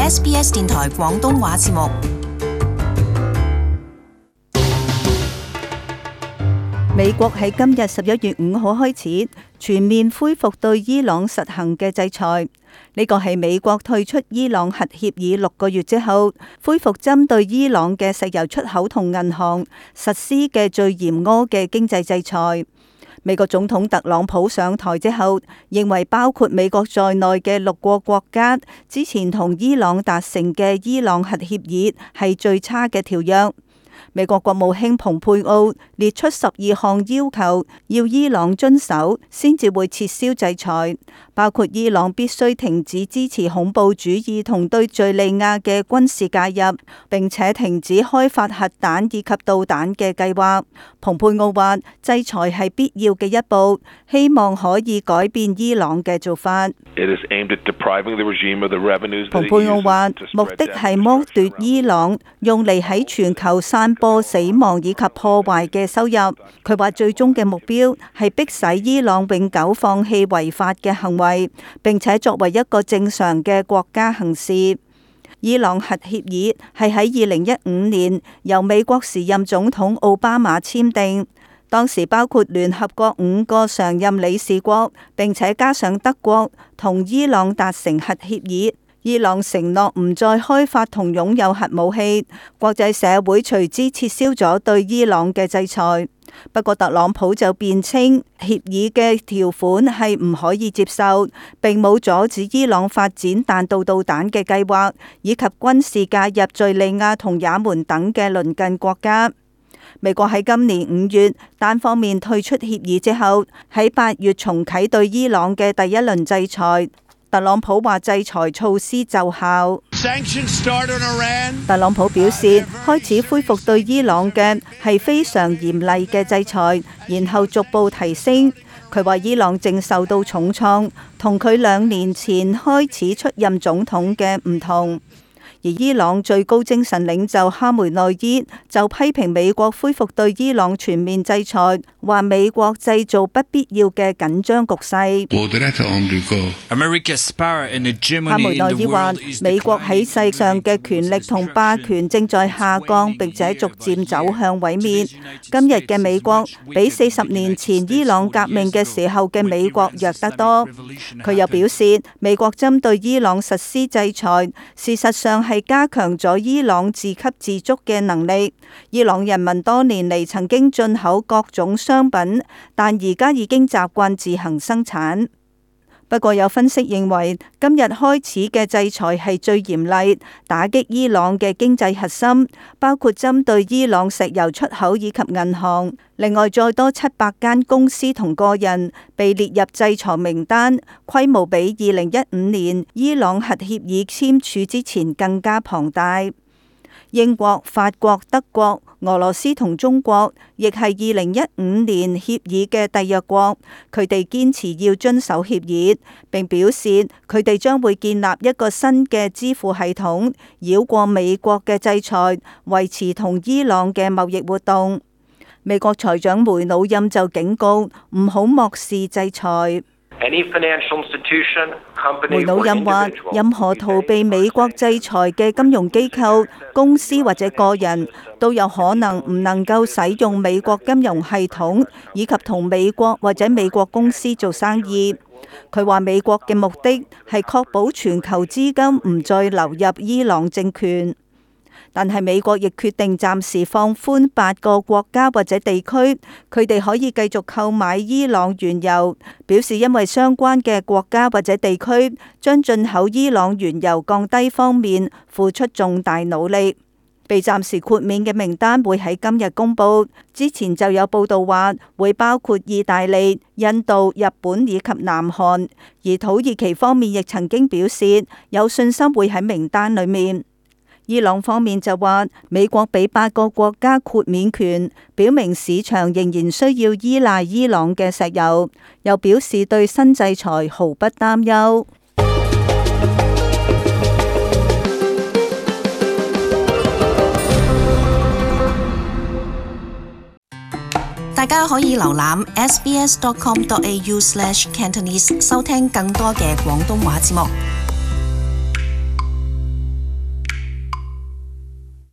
SBS 電台廣東話節目。美國喺今日11月5號開始全面恢復對伊朗實行嘅制裁。呢個係美國退出伊朗核協議6個月之後，恢復針對伊朗嘅石油出口同銀行實施嘅最嚴苛嘅經濟制裁。美國總統特朗普上台之後，認為包括美國在內嘅6個國家之前同伊朗達成嘅伊朗核協議係最差嘅條約。美國國務卿蓬佩奧列出12項要求，要伊朗遵守先至會撤銷制裁，包括伊朗必須停止支持恐怖主義同對敘利亞嘅軍事介入，並且停止開發核彈以及導彈嘅計劃。蓬佩奧話，制裁係必要嘅一步，希望可以改變伊朗嘅做法。蓬佩奧話，目的係剝奪伊朗用嚟喺全球散播死亡以及破壞嘅收入。佢話最終嘅目標係迫使伊朗永久放棄違法嘅行為，並且作為一個正常嘅國家行事。伊朗核協議係喺2015年由美國時任總統奧巴馬簽訂，當時包括聯合國5個常任理事國，並且加上德國同伊朗達成核協議。伊朗承諾唔再開發同擁有核武器，國際社會隨之撤銷咗對伊朗嘅制裁。不過特朗普就辯稱協議嘅條款係唔可以接受，並冇阻止伊朗發展彈道導彈嘅計劃，以及軍事介入敘利亞同也門等嘅鄰近國家。美國喺今年5月單方面退出協議之後，喺8月重啟對伊朗嘅第一輪制裁。特朗普話制裁措施奏效。特朗普表示，開始恢復對伊朗嘅係非常嚴厲嘅制裁，然後逐步提升。佢話伊朗正受到重創，同佢2年前開始出任總統嘅唔同。而伊朗最高精神領袖哈梅內伊就批評美國恢復對伊朗全面制裁，話美國製造不必要嘅緊張局勢。哈梅內伊話，美國喺世上嘅權力同霸權正在下降，並且逐漸走向毀滅。今日嘅美國比40年前伊朗革命嘅時候嘅美國弱得多。佢又表示，美國針對伊朗實施制裁，事實上係加強咗伊朗自給自足嘅能力。伊朗人民多年嚟曾經進口各種商品，但而家已經習慣自行生產。不過有分析認為，今日開始嘅制裁係最嚴厲，打擊伊朗嘅經濟核心，包括針對伊朗石油出口以及銀行。另外再多700間公司同個人被列入制裁名單，規模比2015年伊朗核協議簽署之前更加龐大。英國、法國、德國、俄羅斯同中國亦係2015年協議嘅締約國，佢哋堅持要遵守協議，並表示佢哋將會建立一個新嘅支付系統，繞過美國嘅制裁，維持同伊朗嘅貿易活動。美國財長梅努欽就警告唔好漠視制裁。梅努欽話，任何逃避美國制裁嘅金融機構、公司或者個人都有可能唔能夠使用美國金融系統，以及同美國或者美國公司做生意。佢話美國嘅目的係確保全球資金唔再流入伊朗政權。但係美國亦決定暫時放寬8個國家或者地區，佢哋可以繼續購買伊朗原油，表示因為相關嘅國家或者地區將進口伊朗原油降低方面付出重大努力。被暫時豁免嘅名單會喺今日公佈，之前就有報道話會包括意大利、印度、日本以及南韓，而土耳其方面亦曾經表示有信心會喺名單裡面。伊朗方面就話，美國俾8個國家豁免權，表明市場仍然需要依賴伊朗嘅石油，又表示對新制裁毫不擔憂。大家可以瀏覽 sbs.com.au/cantonese 收聽更多嘅廣東話節目。